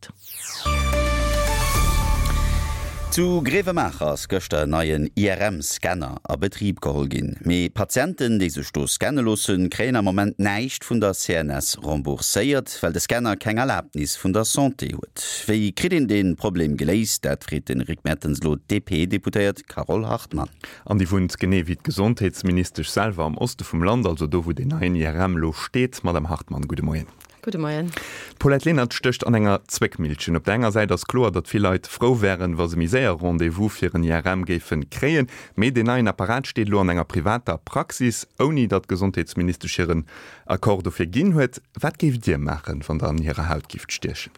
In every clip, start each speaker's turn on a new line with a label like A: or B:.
A: steet.
B: Zu Grevenmacher ass gëschter en neien IRM-Scanner a Betrib geholl ginn. Mee Patienten, déi sech do scanne loossen, kréien am Moment näischt vun der CNS rembourséiert, well de Scanner keng Erlabnis vun der Santé huet. Wéi kritt een dee Problem geléist? Dat freet de Rick Mertens elo d'DP-Deputéiert Carole Hartmann.
C: An déi wunnt, genee wéi d'Gesondheetsministesch selwer, am Oste vum Land, also do wou deen neien IRM elo steet. Madame Hartmann, gudde Moien.
A: Gudde Moien.
C: D'Paulette Lenert stécht an enger Zwéckmillchen. Op der enger Säit ass kloer, datt vill Leit frou wären, wa se méi séier Rendez-vous fir en IRM géife kréien. Mee deen neien Apparat steet elo an enger privater Praxis, ouni datt d'Gesondheetsministesch hiren Accord dofir ginn huet. Wat géift Dir maachen, wann Der an hirer Haut gifft stiechen?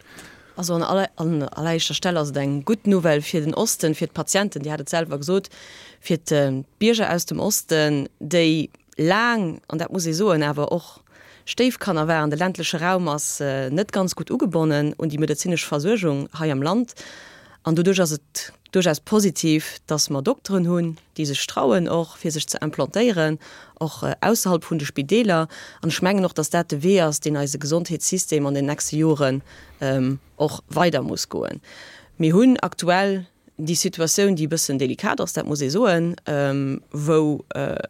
A: Also an alleréischter Stell ass et eng gutt Nouvelle fir den Osten, fir d'Patienten, Dir hat et selwer gesot, fir d'Bierger aus dem Osten, déi laang, an dat muss ee soen, awer och Stéifkanner waren. De ländleche Raum ass net ganz gutt ugebonnen un déi medezinesch Versuergung hei am Land. An doduerch ass et duerchaus positiv, dass mer Dokteren hunn, déi sech trauen och, fir sech ze implantéieren, och ausserhalb vun de Spideeler. An ech mengen och, dass dat de Wee ass, deen eise Gesondheetssystem an den nächste Joren och weider muss goen. Mir hunn aktuell déi Situatioun, déi e bëssen delikat ass, dat muss ee soen, wou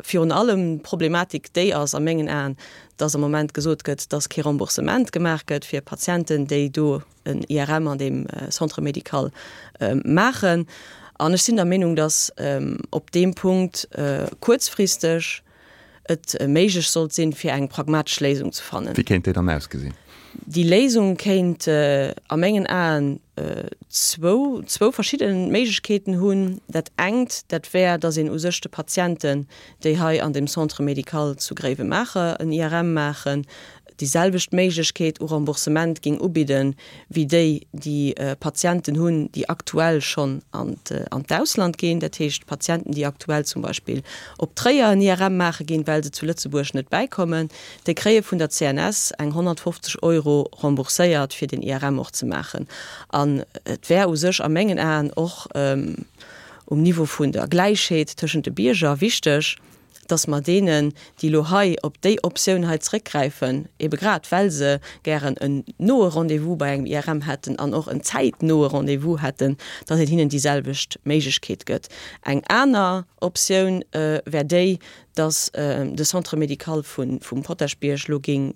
A: virun allem d'Problematik déi ass a mengen Aen, dass am Moment gesot gëtt, dass kee Remboursement gemaach gëtt fir Patienten, déi do en IRM an deem Centre médical maachen. An ech sinn der Meenung, dass op deem Punkt kuerzfristeg et méiglech sollt sinn, fir eng pragmatesch Léisung ze fannen.
C: Wéi kéint déi dann ausgesinn?
A: Déi Léisung kéint a mengen Aen zwou, zwou verschidde Méiglechkeeten hunn. Dat engt, dat wär, datt een u sech de Patienten, déi hei an dem Centre médical zu Gréiwemaacher en IRM maachen, déi selwecht Méiglechkeet u Remboursement géing ubidden, wéi déi, déi Patienten hunn, déi aktuell schonn an d'Ausland ginn, dat heescht Patienten, déi aktuell zum Beispill op Tréier en IRM maache ginn, well se zu Lëtzebuerg net bäikommen, déi kréie vun der CNS eng 150 Euro rembourséiert, fir den IRM och ze maachen. An et wär u sech a mengen Aen och um Niveau vun der Gläichheet tëschent de Bierger wichteg, dass mer deenen, déi elo hei op déi Optioun hei zrëckgräifen, ebe grad well se gären en noe Rendez-vous bei engem IRM hätten an och en zäitnoe Rendez-vous hätten, dass een hinnen déi selwecht Méiglechkeet gëtt. Eng aner Optioun wär déi, dass de Centre médical vum Potaschbierg elo géing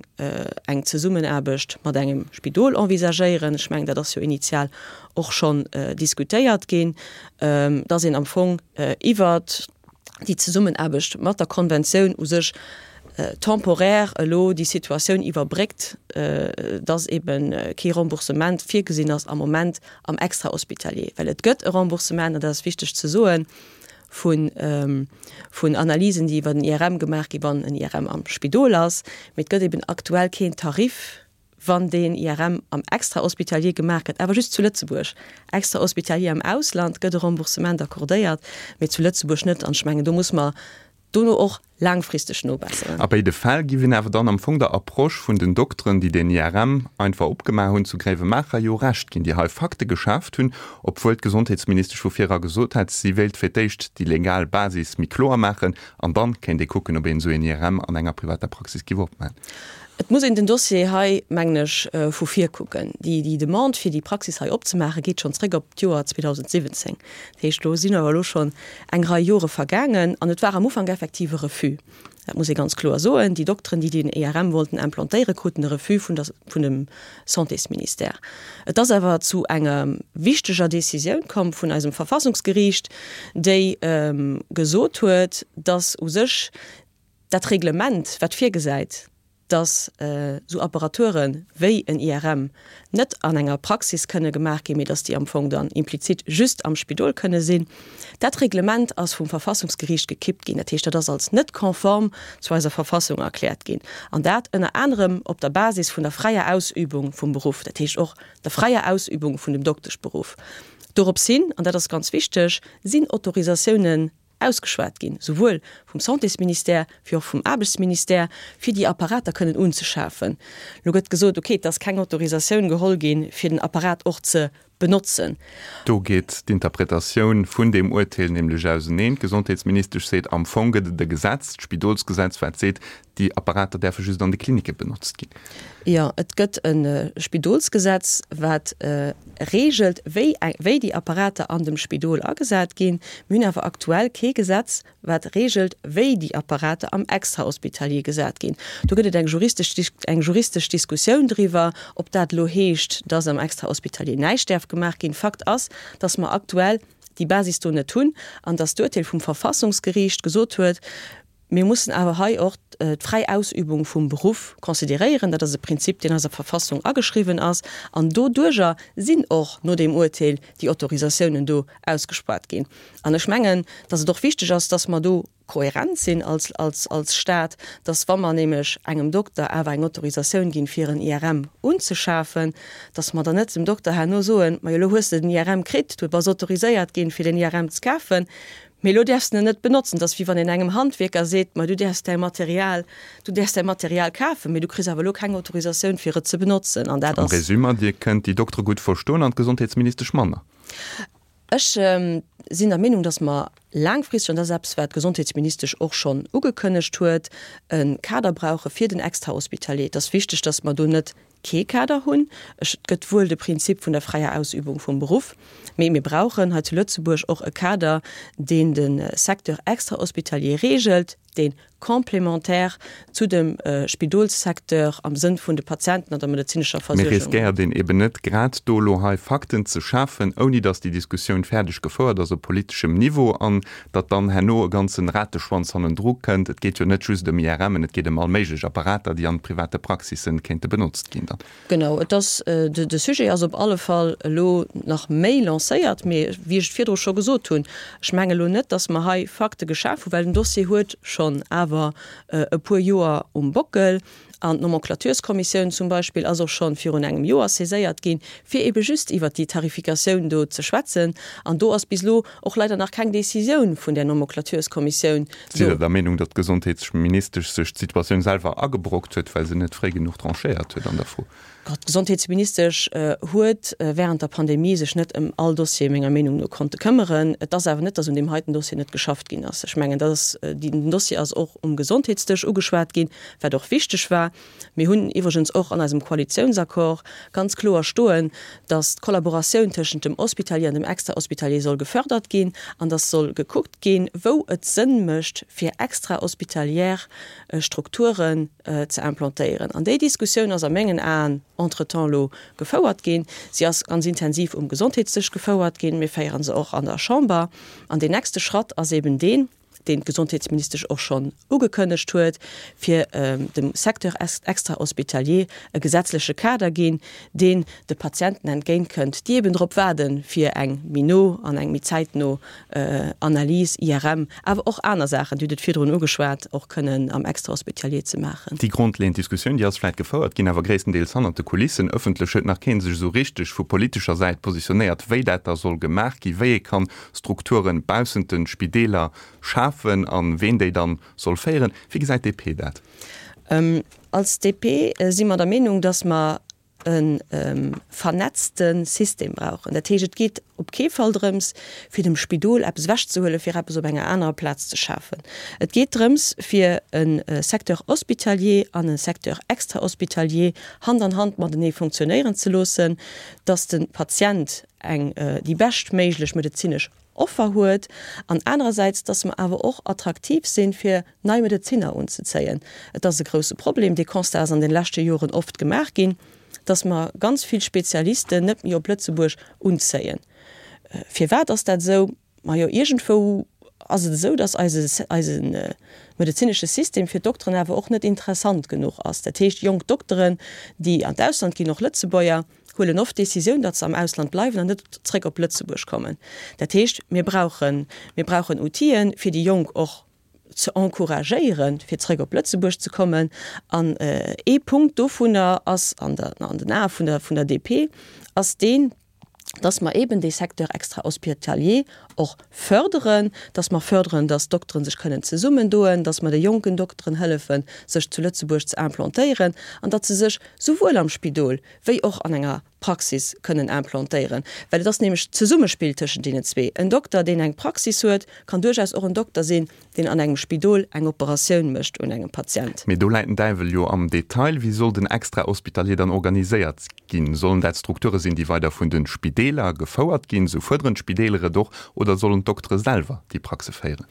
A: eng Zesummenaarbecht mat engem Spidol envisagéieren. Ech mengen, dat ass jo initial och schonn diskutéiert ginn, dass een am Fong iwwert déi Zesummenaarbecht mat der Konventioun u sech temporaire elo déi Situatioun iwwerbréckt, dass ebe kee Remboursement virgesinn ass am Moment am Extrahospitalier. Well et gëtt e Remboursement, an dat ass wichteg ze soen, vun Analysen, déi iwwer den IRM gemaach ginn, wann en IRM am Spidol ass, mee et gëtt eben aktuell keen Tarif, wann deen IRM am Extrahospitalier gemaach gëtt, awer just zu Lëtzebuerg. Extrahospitalier am Ausland gëtt e Remboursement accordéiert, mee zu Lëtzebuerg net. An ech mengen, do muss mer dono och laangfristeg nobesseren.
C: A béide Fäll giff een awer dann am Fong der Approche vun den Dokteren, déi deen IRM einfach opgemaach hunn zu Gréiwemaacher, jo Recht ginn, déi hei Fakte geschaaft hunn, obwuel d'Gesondheetsministesch vu vir era gesot hat, si wéilt fir d'éischt déi legal Basis méi kloer maachen an dann kéint ee kucken, ob een esou een IRM an enger privater Praxis giff opmachen.
A: Et muss een den Dossier hei, mengen ech, vu vir kucken. Déi Demande, fir déi Praxis hei opzemaachen, geet schonn zréck op d'Joer 2017. Dat heescht, do sinn awer elo schonn eng Rei Jore vergaangen an et war am Ufank effektiv e Refus. Dat muss ee ganz kloer soen. Déi Dokteren, déi den IRM wollten implantéieren, kruten e Refus vun der, vun dem Santésministère. Et ass awer zu enger wichteger Décisioun komm vun eisem Verfassungsgeriicht, déi gesot huet, dass u sech Dat Reglement, wat virgesäit, dass esou Apparature wéi en IRM net an enger Praxis kënne gemaach ginn, mee dass déi am Fong dann implizit just am Spidol kënne sinn, dat Reglement ass vum Verfassungsgeriicht gekippt ginn. Dat heescht, dat ass als net konform zu eiser Verfassung erkläert ginn, an dat ënner anerem op der Basis vun der fräier Ausübung vum Beruff, dat heescht och der fräier Ausübung vun dem Dokteschberuff. Dorops hin, an dat ass ganz wichteg, sinn Autorisatiounen ausgeschwat ginn, souwuel vum Santésministère wéi och vum Aarbechtsministère, fir déi Apparater kënnen unzeschafen. Elo gëtt gesot, okay, et ass keng Autorisatioun geholl ginn, fir den Apparat och ze. Benotzen.
C: Do geet d'Interpretatioun vun deem Urteel nämlech auseneen. D'Gesondheetsministesch seet, am Fong gëtt et e Gesetz, d'Spidolsgesetz, wat seet, déi Apparater däerfe just an de Klinicke benotzt ginn.
A: Jo, et gëtt e Spidolsgesetz, wat reegelt, wéi wéi déi Apparater an dem Spidol agesat ginn. Mir hunn awer aktuell kee Gesetz, wat reegelt, wéi déi Apparater am Extrahospitalier gesat ginn. Do gëtt et eng juristesch eng juristesch Diskussioun driwwer, ob dat elo heescht, dass am Extrahospitalier näischt däerf gemaach ginn. Fakt ass, dass mer aktuell déi Basis do net hunn an dass d'Urteel vum Verfassungsgeriicht gesot huet, Mir mussen awer hei och d'fräi Ausübung vum Beruff consideréieren. Dat ass e Prinzip, deen eiser Verfassung ageschriwwen ass. An doduerjer sinn och no deem Urteel déi Autorisatiounen do ausgespuart ginn. An ech mengen, dass et och wichteg ass, dass mer do kohärent sinn als, als, als Stat, dass wa mer nämlech engem Dokter awer eng Autorisatioun ginn, fir en IRM unzeschafen, dass mer dann net dem Dokter herno soen, Majo, elo hues de den IRM kritt, du bass autoriséiert ginn, fir den IRM ze kafen, mee elo däerfs de en net benotzen. Dat ass wéi wann een engem Handwierker seet, Ma du däerfs däi Material, du däerfs däi Material kafen, mee du kriss awer elo keng Autorisatioun, fir et ze benotzen. An dat
C: Am ass. Résumé, Dir kënnt déi Doktere gutt verstoen an d'Gesondheetsministesch manner.
A: Ech sinn der Meenung, dass mer laangfristeg, an dat ass eppes, wat d'Gesondheetsministesch och schonn ugekënnegt huet, e Kader brauche fir den Extrahospitalier. Et ass wichteg, dass mer do net kee Kader hunn. Et gëtt wuel de Prinzip vun der fräier Ausübung vum Beruff, mee mir brauchen hei zu Lëtzebuerg och e Kader, deen de Secteur extrahospitalier regelt, dee complémentaire zu dem Spidolssecteur am Sënn vun de Patienten an der medezinescher
C: Mee
A: Versuergung.
C: riskéiert een eben net grad do elo hei Fakten ze schafen, ouni datt déi Diskussioun fäerdeg gefouert ass op politeschem Niveau an datt dann herno e ganzen Rateschwanz hannendru kënnt? Et geet jo net just ëm IRMen, et geet ëm all méiglech Apparater, déi an private Praxissen kéinte benotzt ginn dann.
A: Genau, et ass, de Sujet ass op alle Fall elo nach méi lancéiert. Mee wéi ech et virdru scho gesot hunn, ech menge elo net, datt mer hei Fakte geschaf hunn, well den Dossier huet schonn awer e puer Joer um Bockel. An d'Nomenclatureskommissioun zum Beispill ass och scho virun engem Joer saiséiert ginn, fir ebe just iwwert déi Tarifikatioun do ze schwätzen. An do ass bis elo och leider nach keng Décisioun vun där Nomenclatureskommissioun
C: Sidd Der der Meenung, datt d'Gesondheetsministesch sech d'Situatioun selwer agebrockt huet, well se net fréi genuch tranchéiert huet an der Fro?
A: D'Gesondheetsministesch huet während der Pandemie sech net ëm all Dossier menger Meenung no konnte këmmeren. Et ass awer net, datt un deem heiten Dossier net geschafft ginn ass. Ech mengen, dat ass, den Dossier ass och um Gesondheetsdësch ugeschwat ginn, wat och wichteg war. Mir hunn iwwregens och an eisem Koalitiounsaccord ganz kloer stoen, dass d'Kollaboratioun tëschent dem Hospitalier an dem Extrahospitalier soll gefördert ginn an dass soll gekuckt ginn, wou et Sënn mécht, fir extrahospitalière Strukturen ze implantéieren. An déi Diskussioun ass a mengen Aen entretemps elo gefouert ginn. Si ass ganz intensiv um Gesondheetsdësch gefouert ginn. Mir féiere se och an der Chamber. An deen nächste Schratt ass eben deen, deen d'Gesondheetsministesch och schonn ugekënnegt huet, fir dem Secteur extrahospitalier e gesetzleche Kader ginn, deen de Patienten entgéintkënnt, déi eben drop waarden, fir eng méi no an eng méi zäitno Analys, IRM, awer och aner Saachen, Dir hutt et virdrun ugeschwat, och kënnen am Extrahospitalier ze maachen.
C: Déi grondleeënd Diskussioun, déi ass vläicht gefouert ginn, awer gréisstendeels hannert de Kulissen. Ëffentlech huet nach kee sech esou richteg vu politescher Säit positionéiert, wéi dat da soll gemaach ginn, wéi ee kann Strukturen baussent den Spideeler schafen an ween déi dann soll féieren. Wéi gesäit d'DP dat?
A: Als DP si mer der Meenung, dass mer e vernetzte System brauchen. Dat heescht, et geet op kee Fall drëms, fir dem Spidol eppes ewechzehuelen, fir eppes op enger anerer Plaz ze schafen. Et geet drëms, fir e Secteur hospitalier an e Secteur extrahospitalier Hand an Hand matenee funktionéieren ze loossen, dass de Patient eng déi beschtméiglech medezinesch Offer huet an anerersäits, dass mer awer och attraktiv sinn, fir nei Medezinner unzezéien. Et ass e grouse Problem, dee Constat ass an de leschte Joren oft gemaach ginn, dass mer ganz vill Spezialisten net méi op Lëtzebuerg unzéien. Firwat ass dat esou? Majo, iergendwou ass et esou, dass eise, eise medezinesche System fir d'Dokteren awer och net interessant genuch ass. Dat heescht, jonk Dokteren, déi an d'Ausland ginn, och Lëtzebuerger, huelen oft d'Decisioun, datt se am Ausland bleiwen an net zréck op Lëtzebuerg kommen. Dat heescht, mir brauchen, mir brauchen Outile fir déi Jonk och ze encouragéieren, fir zréck op Lëtzebuerg ze kommen. An ee Punkt dovunner ass an der, an den Ae vun der, vun der DP, ass deen, dass mer eben dee Secteur extrahospitalier och förderen, dass mer förderen, dass d'Dokteren sech kënnen zesummendoen, dass mer de jonken Dokteren hëllefen, sech zu Lëtzebuerg ze implantéieren an datt se sech souwuel am Spidol wéi och an enger. Praxis kënnen implantéieren. Well et ass nämlech d'Zesummespill tëschent deenen zwee. En Dokter, deen eng Praxis huet, kann duerchaus och en Dokter sinn, deen an engem Spidol eng Operatioun mécht un engem Patient.
C: Mee do läit den Däiwel jo am Detail. Wéi soll den Extra-hospitalier dann organiséiert ginn? Sollen dat Strukture sinn, déi weider vun de Spideeler gefouert ginn, sou fuerderen d'Spideeler et och, oder sollen d'Doktere selwer déi Praxe féieren?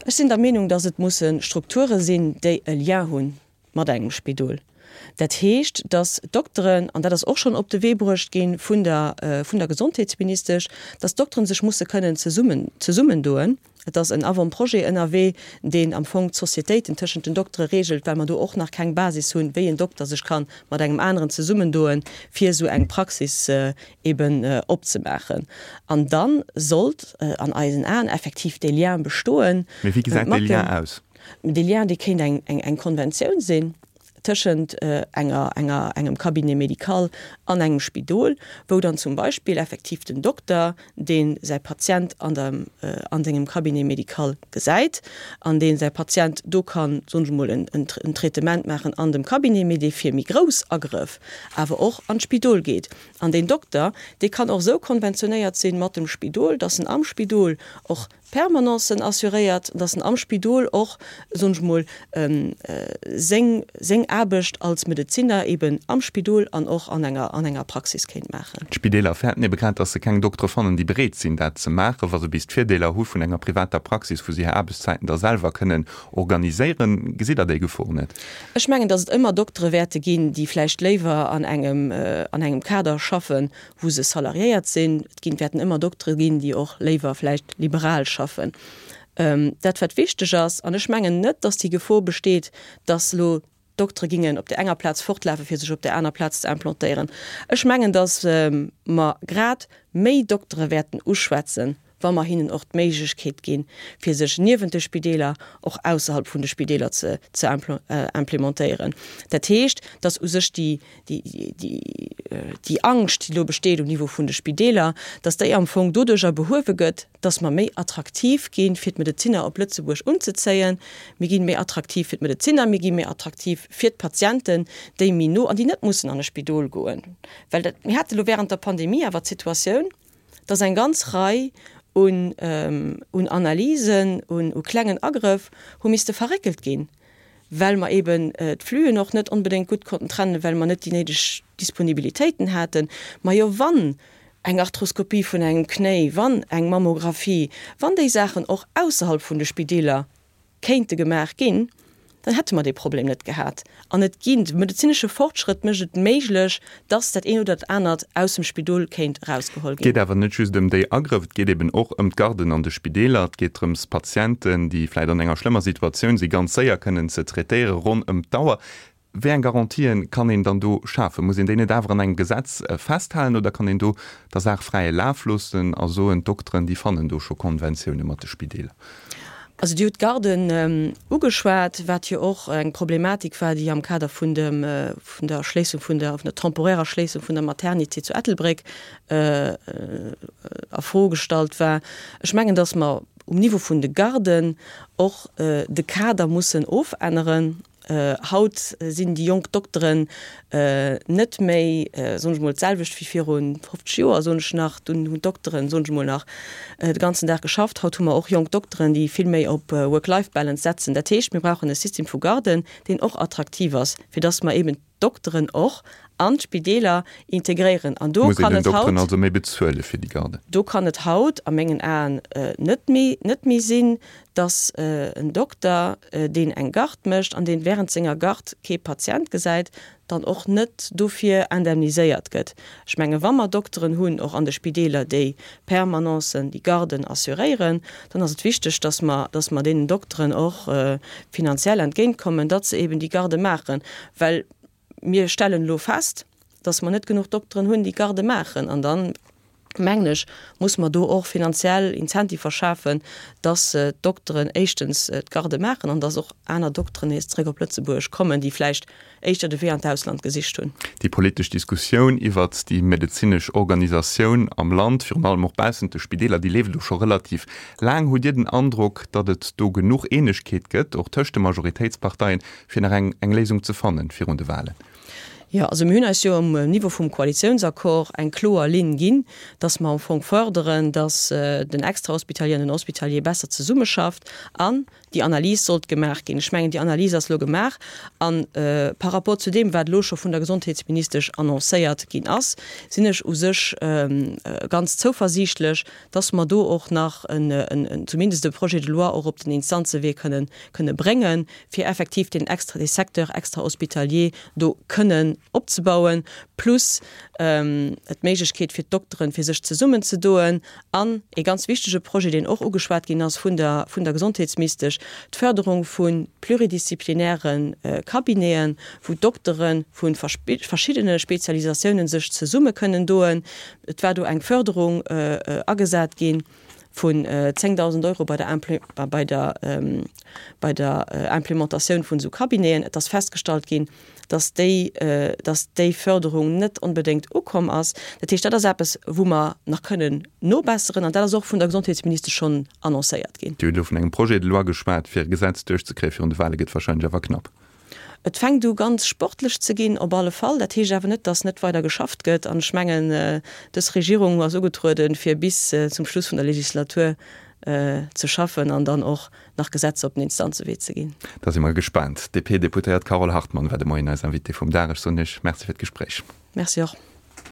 A: Ech sinn der Meenung, datt et musse Strukture sinn, déi e Lien hu mat engem Spidol. Dat heescht, datt d'Dokteren, an dat ass och schonn op de Wee bruecht gi vun der, vun der Gesondheetsministesch, datt d'Dokteren sech musse kënnen zesummen, zesummendoen. Et ass en Avant-projet ënnerwee, deen am Fong d'Sociétéiten tëschent den Doktere regelt, well mer do och nach keng Basis hunn, wéi en Dokter sech ka mat engem aneren zesummendoen, fir esou eng Praxis eben opzemaachen. An da sollt an eisen Aen effektiv dee Lien bestoen.
C: Mee wéi gesäit dee Lien aus?
A: Dee Lien, dee kéint eng Konventioun sinn tëschent enger, enger, engem Cabinet médical an engem Spidol, wou dann zum Beispill effektiv den Dokter, dee säi Patient an der, an sengem Cabinet médical gesäit an dee säi Patient do kann, soen ech emol, en, en Traitement maachen an dem Cabinet, mee dee fir méi grouss Agrëff awer och an d'Spidol geet. An deen Dokter, dee kann och esou konventionéiert sinn mat dem Spidol, dass en am Spidol och Permanencen assuréiert, dass en am Spidol och, soen ech mol, seng, seng Aarbecht als Medezinner eben am Spidol an och an enger, an enger Praxis kéint maachen.
C: D'Spideeler fäerten ebe grad, dass se keng Doktere fannen, déi bereet sinn, dat ze maachen, wa se bis d'Virdeeler hu vun enger privater Praxis, wou se hir Aarbechtszäiten da selwer kënnen organiséieren. Gesitt Der déi Gefor net?
A: Ech mengen, dass et ëmmer Doktere wäerte ginn, déi vläicht léiwer an engem, an engem Kader schaffen, wou se salariéiert sinn. Et ginn, wäerten ëmmer Doktere ginn, déi och léiwer vläicht liberal schaffen. Dat wat wichteg ass, an ech mengen net, datt déi Gefor besteet, datt elo d'Doktere gingen op där enger Plaz fortlafen, fir sech op där aner Plaz ze implantéieren. Ech mengen, datt mer grad méi Doktere wäerten uschwätzen, wa mer hinnen och d'Méiglechkeet ginn, fir sech niewent de Spideeler och ausserhalb vun de Spideeler ze ze implementéieren. Dat heescht, dass u sech déi, déi, déi, déi Angscht, déi elo besteet um Niveau vun de Spideeler, dass déi am Fong doduerjer behuewe gëtt, dass mer méi attraktiv ginn, fir d'Medezinner op Lëtzebuerg unzezéien. Mir gi méi attraktiv fir d'Medezinner, mir gi méi attraktiv fir d'Patienten, déi méi no an déi net mussen an e Spidol goen. Well dat, mir hate lo während der Pandemie awer d'Situatioun, dass eng ganz Rei un un Analysen, un u klengen Agrëff hu misste verréckelt ginn, well mer eben d'Flüen och net onbedéngt gutt konnten trennen, well mer net déi néideg Disponibilitéiten haten. Majo, wann eng Arthroskopie vun engem Knéi, wann eng Mammographie, wann déi Saachen och ausserhalb vun de Spideeler kéinte gemaach ginn, dann hätte mer dee Problem net gehat. An et ginn, de medezinesche Fortschrëtt mécht et méiglech, dass dat eent oder dat anert aus dem Spidol kéint erausgeholl
C: Et ginn. geet awer net just ëm déi Agrëff, et geet eben och ëm d'Garden an de Spideeler. Et geet drëms, Patienten, déi vläicht an enger schlëmmer Situatioun si, ganz séier kënnen ze traitéieren, ronn ëm d'Auer. Wéi eng Garantië kann een dann do schafen? Muss een déi net awer an engem Gesetz festhalen oder kann een do der Saach fräie Laf loossen a soen, d'Dokteren, déi fannen do scho Konventioune mat de Spideeler?
A: Also Dir hutt d'Garden ugeschwat, wat jo och eng Problematik war, déi am Kader vun dem, vun der Erschléissung vun der, vun der temporärer Schléissung vun der Maternité zu Ettelbréck a Fro gestallt war. Ech mengen, datt mer um Niveau vun de Garden och de Kader mussen ofänneren. Haut sinn déi jonk Dokteren net méi, soen ech mol, d'selwecht wéi viru 50 Joer, soen ech nach. Dunn hunn d'Dokteren, soen ech mol, nach de ganzen Dag geschafft. Haut hu mer och jonk Dokteren, déi vill méi op Work-Life-Balance setzen. Dat heescht, mir brauchen e System vu Garden, deen och attraktiv ass, fir dass mer eben d'Dokteren och an d'Spideeler integréieren. An do
C: Muss een kann den et Dokteren haut, also méi bezuele fir déi Garden?
A: do kann et haut a mengen Aen net méi, net méi sinn, dass en Dokter, deen eng Garde mécht an deen während senger Garde kee Patient gesäit, dann och net dofir indemniséiert gëtt. Ech menge wa mer Dokteren hunn, och an de Spideeler, déi Permanencen, déi Garden assuréieren, dann ass et wichteg, dass mer, dass mer deenen Dokteren och finanziell entgéintkommen, datt se eben déi Garde maachen. Well mir stellen elo fest, dass mer net genuch Dokteren hunn, déi Garde maachen. An dann, mengen ech, muss mer do och finanziell Incentiver schafen, dass d'Dokteren éischtens d'Garde maachen an dass och aner Dokteren nees zréck op Lëtzebuerg kommen, déi vläicht éischter de Wee an d'Ausland gesicht hunn.
C: Déi politesch Diskussioun iwwert déi medezinesch Organisatioun am Land, virun allem och baussent de Spideeler, déi leeft elo scho relativ laang. Hutt Dir den Androck, datt et do genuch Eenegkeet gëtt, och tëscht de Majoritéitsparteien, fir nach eng eng Léisung ze fannen virun de Wahlen?
A: Jo, also mir hunn eis jo um Niveau vum Koalitiounsaccord eng kloer Linn ginn, dass mer am Fong fërderen, dass den Extrahospitalier an den Hospitalier besser zesummeschafft an déi Analys sollt gemaach ginn. Ech mengen, déi Analys ass elo gemaach a par rapport zu deem, wat elo scho vun der Gesondheetsministesch annoncéiert ginn ass, sinn ech u sech ganz zouversiichtlech, dass mer do och nach en, zumindest e Projet de loi och op den Instanzewee kënnen, kënne bréngen, fir effektiv deen extra, dee Secteur extra-hospitalier do kënnen opzebauen, plus d'Méiglechkeet fir d'Dokteren, fir sech zesummenzedoen. An ee ganz wichtege Projet, deen och ugeschwat ginn ass vun der, vun der Gesondheetsmistesch, d'Förderung vu pluridisziplinäre Cabineten, wou d'Doktere vu verschiddene Spezialisatiounen sech zesumme kënnen doen. Et war do eng Förderung agesat gi vun 10.000 Euro bei der bei der bei der Implementatioun vun esou Cabineten. Et ass festgestallt ginn, dass déi dass déi Förderung net onbedéngt ukomm ass. Dat heescht, dat ass eppes, wou mer nach kënnen nobesseren an dat ass och vun der Gesondheetsministesch schonn annoncéiert ginn.
C: Dir hutt elo vun engem Projet de loi geschwat. Fir e Gesetz duerchzekréie virun de Wahle gëtt wahrscheinlech awer knapp.
A: Et fänkt u ganz sportlech ze ginn, op alle Fall. Dat heescht awer net, datt net weider geschafft gëtt. An ech mengen, dës Regierung ass ugetrueden, fir bis zum Schluss vun der Legislatur ze schaffen an dann och nach Gesetzer op den Instanzewee ze ginn.
C: Da si mer gespaant. D'DP-Deputéiert Carole Hartmann war de Moien eis Invitée vum Dag. Ech soen Iech Merci fir d'Gespréich.
A: Merci och.